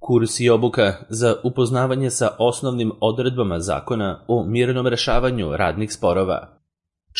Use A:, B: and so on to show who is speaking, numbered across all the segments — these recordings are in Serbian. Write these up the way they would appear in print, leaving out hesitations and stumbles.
A: Kurs i obuka za upoznavanje sa osnovnim odredbama zakona o mirnom rešavanju radnih sporova.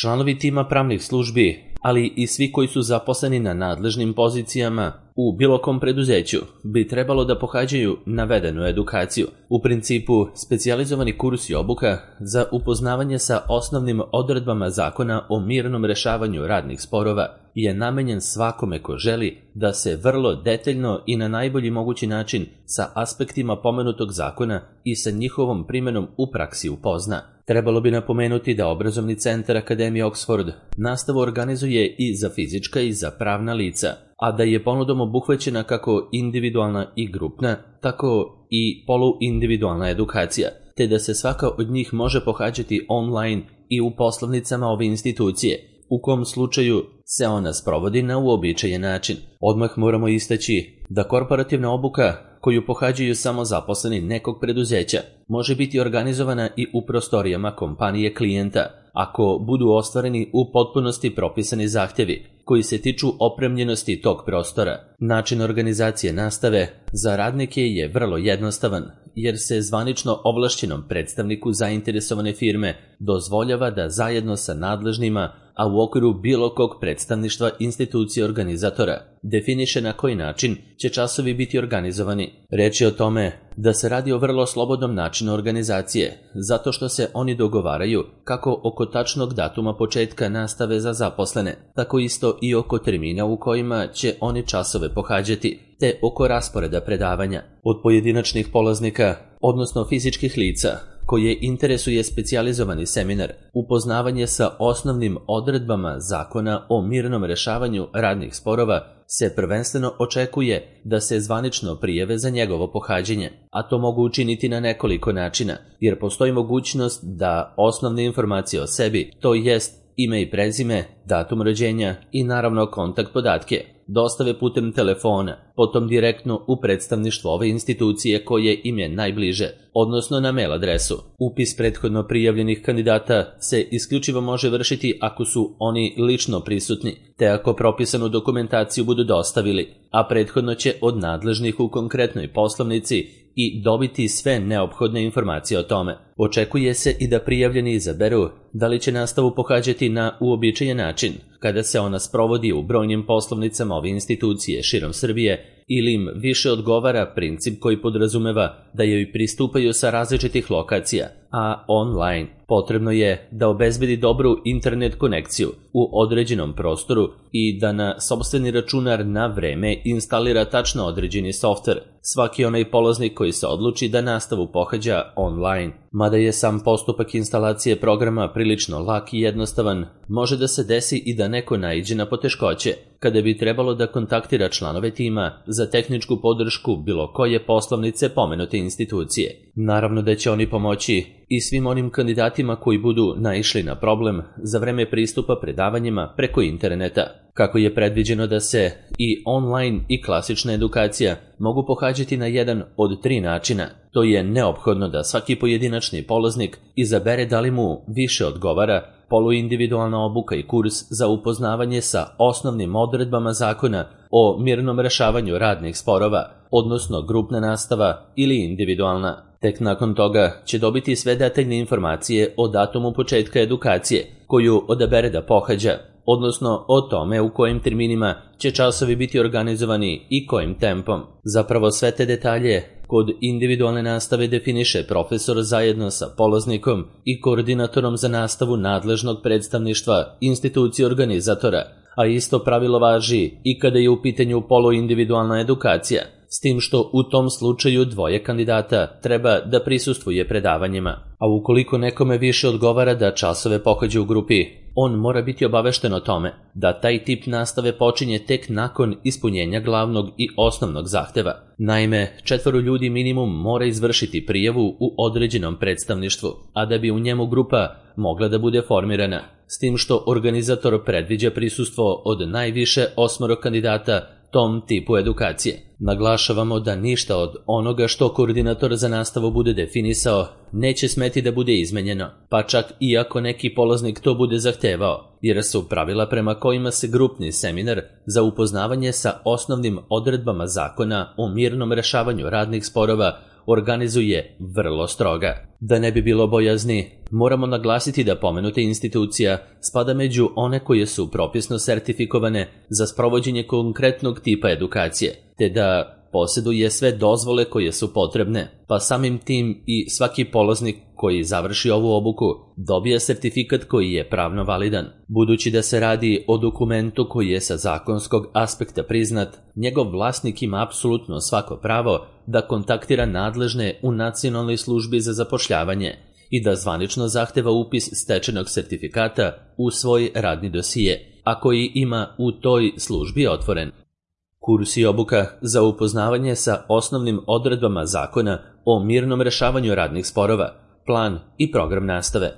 A: Članovi tima pravnih službi, ali i svi koji su zaposleni na nadležnim pozicijama u bilo kom preduzeću, bi trebalo da pohađaju navedenu edukaciju. U principu, specijalizovani kurs i obuka za upoznavanje sa osnovnim odredbama zakona o mirnom rešavanju radnih sporova je namenjen svakome ko želi da se vrlo detaljno i na najbolji mogući način sa aspektima pomenutog zakona i sa njihovom primenom u praksi upozna. Trebalo bi napomenuti da Obrazovni centar Akademije Oxford nastavu organizuje i za fizička i za pravna lica, a da je ponudom obuhvaćena kako individualna i grupna, tako i poluindividualna edukacija, te da se svaka od njih može pohađati online i u poslovnicama ove institucije, u kom slučaju se ona sprovodi na uobičajen način. Odmah moramo istaći da korporativna obuka koju pohađaju samo zaposleni nekog preduzeća može biti organizovana i u prostorijama kompanije klijenta, ako budu ostvareni u potpunosti propisani zahtjevi koji se tiču opremljenosti tog prostora. Način organizacije nastave za radnike je vrlo jednostavan, jer se zvanično ovlašćenom predstavniku zainteresovane firme dozvoljava da zajedno sa nadležnima, a u okviru bilo kog predstavništva institucije organizatora, definiše na koji način će časovi biti organizovani. Reč je o tome da se radi o vrlo slobodnom načinu organizacije, zato što se oni dogovaraju kako oko tačnog datuma početka nastave za zaposlene, tako isto i oko termina u kojima će oni časove pohađati, te oko rasporeda predavanja. Od pojedinačnih polaznika, odnosno fizičkih lica, koje interesuje specijalizovani seminar, upoznavanje sa osnovnim odredbama zakona o mirnom rešavanju radnih sporova, se prvenstveno očekuje da se zvanično prijave za njegovo pohađanje, a to mogu učiniti na nekoliko načina, jer postoji mogućnost da osnovne informacije o sebi, to jest ime i prezime, datum rođenja i naravno kontakt podatke, dostave putem telefona, potom direktno u predstavništvo ove institucije koje im je najbliže, odnosno na mail adresu. Upis prethodno prijavljenih kandidata se isključivo može vršiti ako su oni lično prisutni, te ako propisanu dokumentaciju budu dostavili, a prethodno će od nadležnih u konkretnoj poslovnici i dobiti sve neophodne informacije o tome. Očekuje se i da prijavljeni izaberu da li će nastavu pohađati na uobičajen način, kada se ona sprovodi u brojnim poslovnicama ove institucije širom Srbije, ili im više odgovara princip koji podrazumeva da joj pristupaju sa različitih lokacija, a online. Potrebno je da obezbedi dobru internet konekciju u određenom prostoru i da na sopstveni računar na vreme instalira tačno određeni softver. Svaki onaj polaznik koji se odluči da nastavu pohađa online. Mada je sam postupak instalacije programa prilično lak i jednostavan, može da se desi i da neko naiđe na poteškoće, kada bi trebalo da kontaktira članove tima za tehničku podršku bilo koje poslovnice pomenute institucije. Naravno da će oni pomoći i svim onim kandidatima koji budu naišli na problem za vreme pristupa predavanjima preko interneta. Kako je predviđeno da se i online i klasična edukacija mogu pohađati na jedan od 3 načina, to je neophodno da svaki pojedinačni polaznik izabere da li mu više odgovara poluindividualna obuka i kurs za upoznavanje sa osnovnim odredbama zakona o mirnom rešavanju radnih sporova, odnosno grupna nastava ili individualna. Tek nakon toga će dobiti sve detaljne informacije o datumu početka edukacije koju odabere da pohađa, odnosno o tome u kojim terminima će časovi biti organizovani i kojim tempom. Zapravo sve te detalje kod individualne nastave definiše profesor zajedno sa polaznikom i koordinatorom za nastavu nadležnog predstavništva institucije organizatora, a isto pravilo važi i kada je u pitanju poluindividualna edukacija, s tim što u tom slučaju 2 kandidata treba da prisustvuje predavanjima. A ukoliko nekome više odgovara da časove pohađa u grupi, on mora biti obavešten o tome da taj tip nastave počinje tek nakon ispunjenja glavnog i osnovnog zahteva. Naime, 4 ljudi minimum mora izvršiti prijavu u određenom predstavništvu, a da bi u njemu grupa mogla da bude formirana, s tim što organizator predviđa prisustvo od najviše 8 kandidata tom tipu edukacije. Naglašavamo da ništa od onoga što koordinator za nastavu bude definisao neće smeti da bude izmenjeno, pa čak i ako neki polaznik to bude zahtevao, jer su pravila prema kojima se grupni seminar za upoznavanje sa osnovnim odredbama zakona o mirnom rešavanju radnih sporova organizuje vrlo stroga. Da ne bi bilo bojazni, moramo naglasiti da pomenuta institucija spada među one koje su propisno sertifikovane za sprovođenje konkretnog tipa edukacije, te da posjeduje sve dozvole koje su potrebne, pa samim tim i svaki polaznik koji završi ovu obuku dobija sertifikat koji je pravno validan. Budući da se radi o dokumentu koji je sa zakonskog aspekta priznat, njegov vlasnik ima apsolutno svako pravo da kontaktira nadležne u Nacionalnoj službi za zapošljavanje i da zvanično zahteva upis stečenog sertifikata u svoj radni dosije, a koji ima u toj službi otvoren. Kurs i obuka za upoznavanje sa osnovnim odredbama zakona o mirnom rešavanju radnih sporova, plan i program nastave.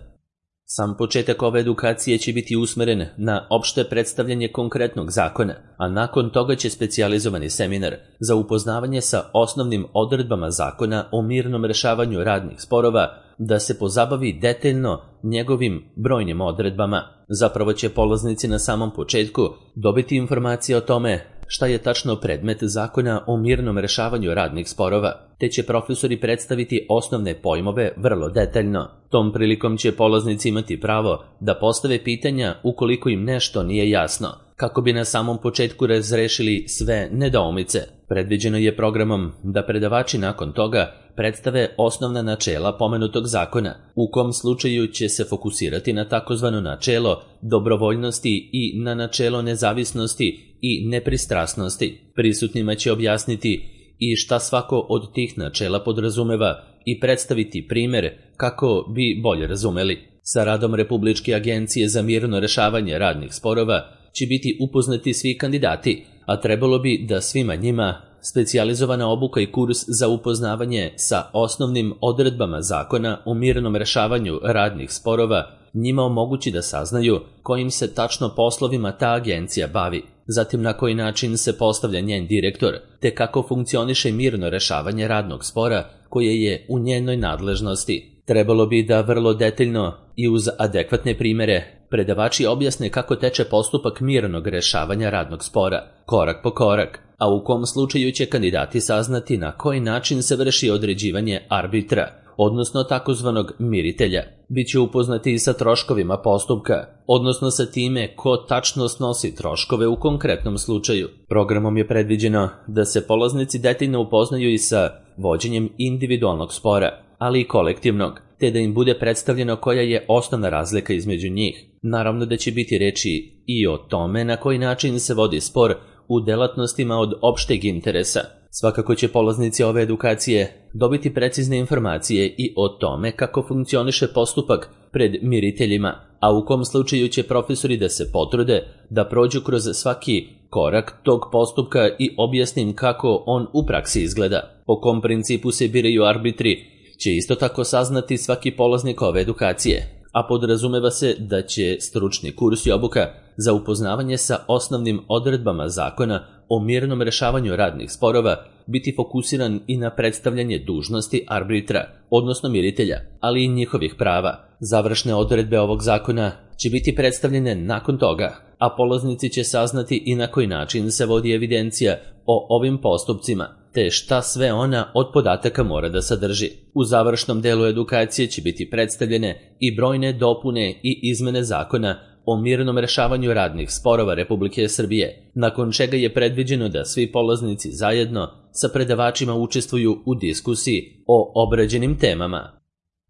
A: Sam početak ove edukacije će biti usmeren na opšte predstavljanje konkretnog zakona, a nakon toga će specijalizovani seminar za upoznavanje sa osnovnim odredbama zakona o mirnom rešavanju radnih sporova da se pozabavi detaljno njegovim brojnim odredbama. Zapravo će polaznici na samom početku dobiti informacije o tome šta je tačno predmet zakona o mirnom rešavanju radnih sporova, te će profesori predstaviti osnovne pojmove vrlo detaljno. Tom prilikom će polaznici imati pravo da postave pitanja ukoliko im nešto nije jasno, kako bi na samom početku razrešili sve nedoumice. Predviđeno je programom da predavači nakon toga predstave osnovna načela pomenutog zakona, u kom slučaju će se fokusirati na takozvano načelo dobrovoljnosti i na načelo nezavisnosti i nepristrasnosti. Prisutnima će objasniti i šta svako od tih načela podrazumeva i predstaviti primer kako bi bolje razumeli. Sa radom Republičke agencije za mirno rešavanje radnih sporova će biti upoznati svi kandidati, a trebalo bi da svima njima specijalizovana obuka i kurs za upoznavanje sa osnovnim odredbama zakona o mirnom rešavanju radnih sporova njima omogući da saznaju kojim se tačno poslovima ta agencija bavi, zatim na koji način se postavlja njen direktor, te kako funkcioniše mirno rešavanje radnog spora koje je u njenoj nadležnosti. Trebalo bi da vrlo detaljno i uz adekvatne primere predavači objasne kako teče postupak mirnog rešavanja radnog spora, korak po korak, a u kom slučaju će kandidati saznati na koji način se vrši određivanje arbitra, odnosno takozvanog miritelja. Biće upoznati i sa troškovima postupka, odnosno sa time ko tačno snosi troškove u konkretnom slučaju. Programom je predviđeno da se polaznici detaljno upoznaju i sa vođenjem individualnog spora, ali i kolektivnog, te da im bude predstavljeno koja je osnovna razlika između njih. Naravno da će biti reči i o tome na koji način se vodi spor u delatnostima od opšteg interesa. Svakako će polaznici ove edukacije dobiti precizne informacije i o tome kako funkcioniše postupak pred miriteljima, a u kom slučaju će profesori da se potrude da prođu kroz svaki korak tog postupka i objasnim kako on u praksi izgleda. Po kom principu se biraju arbitri će isto tako saznati svaki polaznik ove edukacije, a podrazumeva se da će stručni kurs i obuka za upoznavanje sa osnovnim odredbama zakona o mirnom rešavanju radnih sporova biti fokusiran i na predstavljanje dužnosti arbitra, odnosno miritelja, ali i njihovih prava. Završne odredbe ovog zakona će biti predstavljene nakon toga, a polaznici će saznati i na koji način se vodi evidencija o ovim postupcima, te šta sve ona od podataka mora da sadrži. U završnom delu edukacije će biti predstavljene i brojne dopune i izmene zakona o mirnom rešavanju radnih sporova Republike Srbije, nakon čega je predviđeno da svi polaznici zajedno sa predavačima učestvuju u diskusiji o obrađenim temama.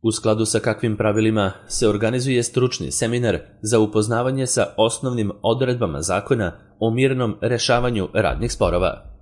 A: U skladu sa kakvim pravilima se organizuje stručni seminar za upoznavanje sa osnovnim odredbama zakona o mirnom rešavanju radnih sporova.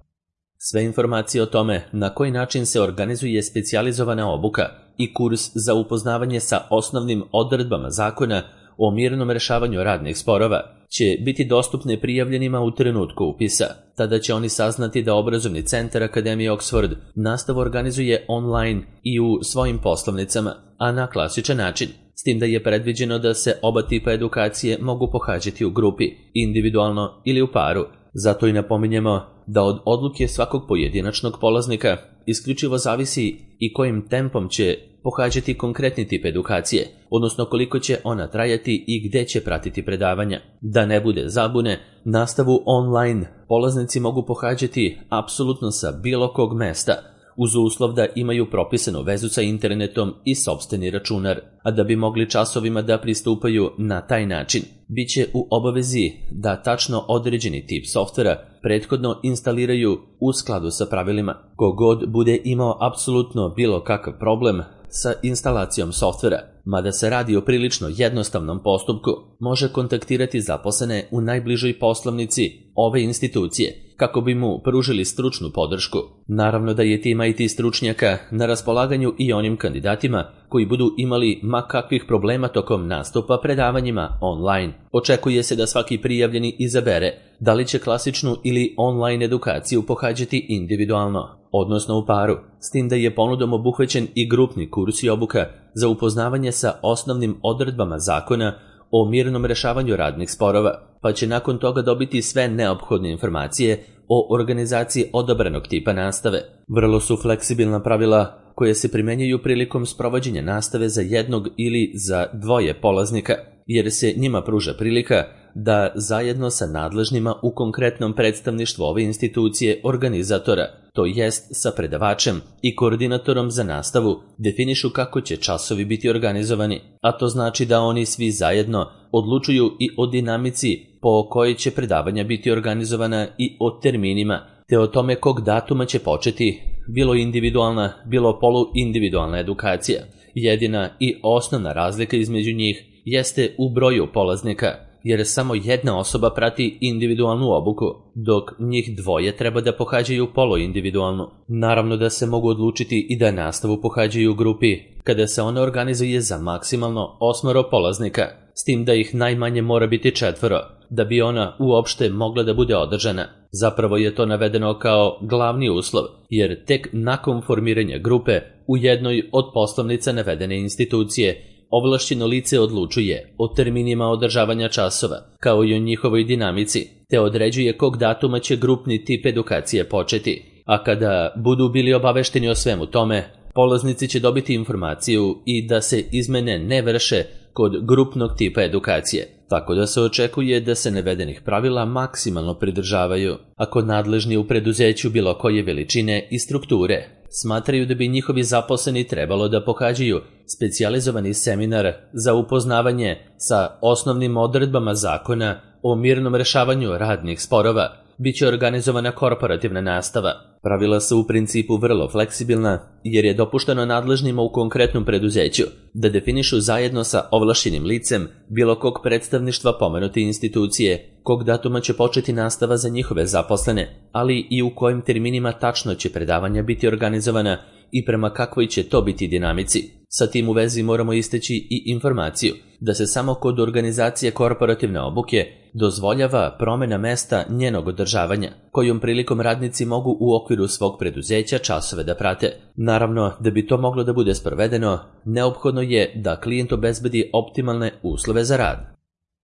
A: Sve informacije o tome na koji način se organizuje specijalizovana obuka i kurs za upoznavanje sa osnovnim odredbama zakona o mirnom rešavanju radnih sporova će biti dostupne prijavljenima u trenutku upisa. Tada će oni saznati da obrazovni centar Akademije Oxford nastavu organizuje online i u svojim poslovnicama, a na klasičan način, s tim da je predviđeno da se oba tipa edukacije mogu pohađati u grupi, individualno ili u paru. Zato i napominjemo da od odluke svakog pojedinačnog polaznika isključivo zavisi i kojim tempom će pohađati konkretni tip edukacije, odnosno koliko će ona trajati i gde će pratiti predavanja. Da ne bude zabune, nastavu online polaznici mogu pohađati apsolutno sa bilo kog mesta, uz uslov da imaju propisanu vezu sa internetom i sopstveni računar, a da bi mogli časovima da pristupaju na taj način, bit će u obavezi da tačno određeni tip softvera prethodno instaliraju u skladu sa pravilima. Kogod bude imao apsolutno bilo kakav problem sa instalacijom softvera, mada se radi o prilično jednostavnom postupku, može kontaktirati zaposlene u najbližoj poslovnici ove institucije kako bi mu pružili stručnu podršku. Naravno da je tim IT stručnjaka na raspolaganju i onim kandidatima koji budu imali ma kakvih problema tokom nastupa predavanjima online. Očekuje se da svaki prijavljeni izabere da li će klasičnu ili online edukaciju pohađati individualno, odnosno u paru, s tim da je ponudom obuhvaćen i grupni kurs i obuka za upoznavanje sa osnovnim odredbama zakona o mirnom rešavanju radnih sporova, pa će nakon toga dobiti sve neophodne informacije o organizaciji odabranog tipa nastave. Vrlo su fleksibilna pravila koje se primenjuju prilikom sprovođenja nastave za jednog ili za dvoje polaznika, jer se njima pruža prilika da zajedno sa nadležnima u konkretnom predstavništvu ove institucije organizatora, to jest sa predavačem i koordinatorom za nastavu, definišu kako će časovi biti organizovani, a to znači da oni svi zajedno odlučuju i o dinamici po kojoj će predavanja biti organizovana i o terminima, te o tome kog datuma će početi bilo individualna, bilo poluindividualna edukacija. Jedina i osnovna razlika između njih jeste u broju polaznika, jer samo jedna osoba prati individualnu obuku, dok njih dvoje treba da pohađaju poluindividualnu. Naravno da se mogu odlučiti i da nastavu pohađaju u grupi, kada se ona organizuje za maksimalno 8 polaznika, s tim da ih najmanje mora biti 4, da bi ona uopšte mogla da bude održana. Zapravo je to navedeno kao glavni uslov, jer tek nakon formiranja grupe u jednoj od poslovnica navedene institucije ovlašćeno lice odlučuje o terminima održavanja časova, kao i o njihovoj dinamici, te određuje kog datuma će grupni tip edukacije početi. A kada budu bili obavešteni o svemu tome, polaznici će dobiti informaciju i da se izmene ne vrše kod grupnog tipa edukacije, tako da se očekuje da se navedenih pravila maksimalno pridržavaju. Ako nadležni u preduzeću bilo koje veličine i strukture smatraju da bi njihovi zaposleni trebalo da pohađaju specijalizovani seminar za upoznavanje sa osnovnim odredbama zakona o mirnom rešavanju radnih sporova, bit će organizovana korporativna nastava. Pravila su u principu vrlo fleksibilna, jer je dopušteno nadležnima u konkretnom preduzeću da definišu zajedno sa ovlašćenim licem bilo kog predstavništva pomenute institucije kog datuma će početi nastava za njihove zaposlene, ali i u kojim terminima tačno će predavanja biti organizovana i prema kakvoj će to biti dinamici. Sa tim u vezi moramo istaći i informaciju da se samo kod organizacije korporativne obuke dozvoljava promena mesta njenog održavanja, kojom prilikom radnici mogu u okviru svog preduzeća časove da prate. Naravno, da bi to moglo da bude sprovedeno, neophodno je da klijent obezbedi optimalne uslove za rad.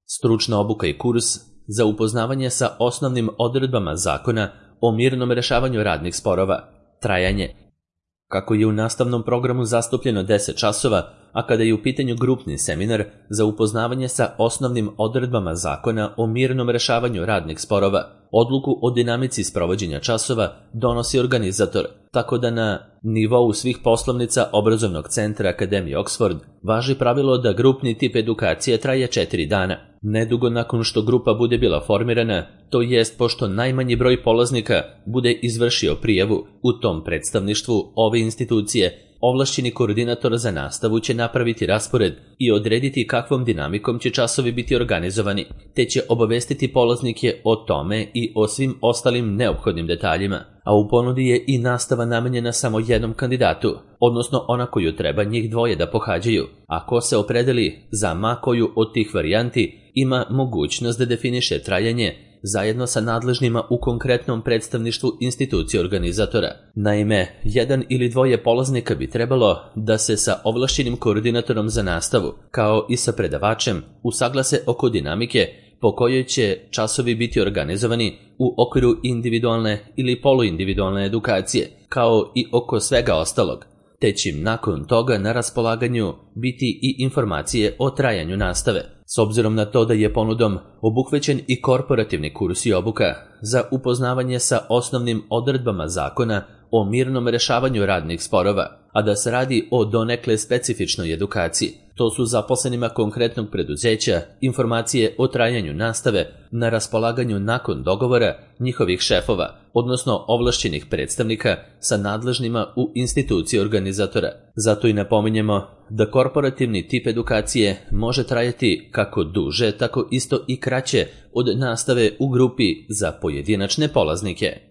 A: Stručna obuka i kurs za upoznavanje sa osnovnim odredbama zakona o mirnom rešavanju radnih sporova. Trajanje. Kako je u nastavnom programu zastupljeno 10 časova, a kada je u pitanju grupni seminar za upoznavanje sa osnovnim odredbama zakona o mirnom rešavanju radnih sporova, odluku o dinamici sprovođenja časova donosi organizator, tako da na nivou svih poslovnica obrazovnog centra Akademije Oxford važi pravilo da grupni tip edukacije traje 4 dana. Nedugo nakon što grupa bude bila formirana, to jest pošto najmanji broj polaznika bude izvršio prijavu u tom predstavništvu ove institucije, ovlašćeni koordinator za nastavu će napraviti raspored i odrediti kakvom dinamikom će časovi biti organizovani, te će obavestiti polaznike o tome i o svim ostalim neophodnim detaljima. A u ponudi je i nastava namenjena samo jednom kandidatu, odnosno ona koju treba njih dvoje da pohađaju. Ako se opredeli za ma koju od tih varijanti, ima mogućnost da definiše trajanje zajedno sa nadležnima u konkretnom predstavništvu institucije organizatora. Naime, jedan ili dvoje polaznika bi trebalo da se sa ovlašćenim koordinatorom za nastavu, kao i sa predavačem, usaglase oko dinamike po kojoj će časovi biti organizovani u okviru individualne ili poluindividualne edukacije, kao i oko svega ostalog, te će im nakon toga na raspolaganju biti i informacije o trajanju nastave. S obzirom na to da je ponudom obuhvaćen i korporativni kurs i obuka za upoznavanje sa osnovnim odredbama zakona o mirnom rešavanju radnih sporova, a da se radi o donekle specifičnoj edukaciji. To su zaposlenima konkretnog preduzeća informacije o trajanju nastave na raspolaganju nakon dogovora njihovih šefova, odnosno ovlašćenih predstavnika sa nadležnima u instituciji organizatora. Zato i napominjemo da korporativni tip edukacije može trajati kako duže, tako isto i kraće od nastave u grupi za pojedinačne polaznike.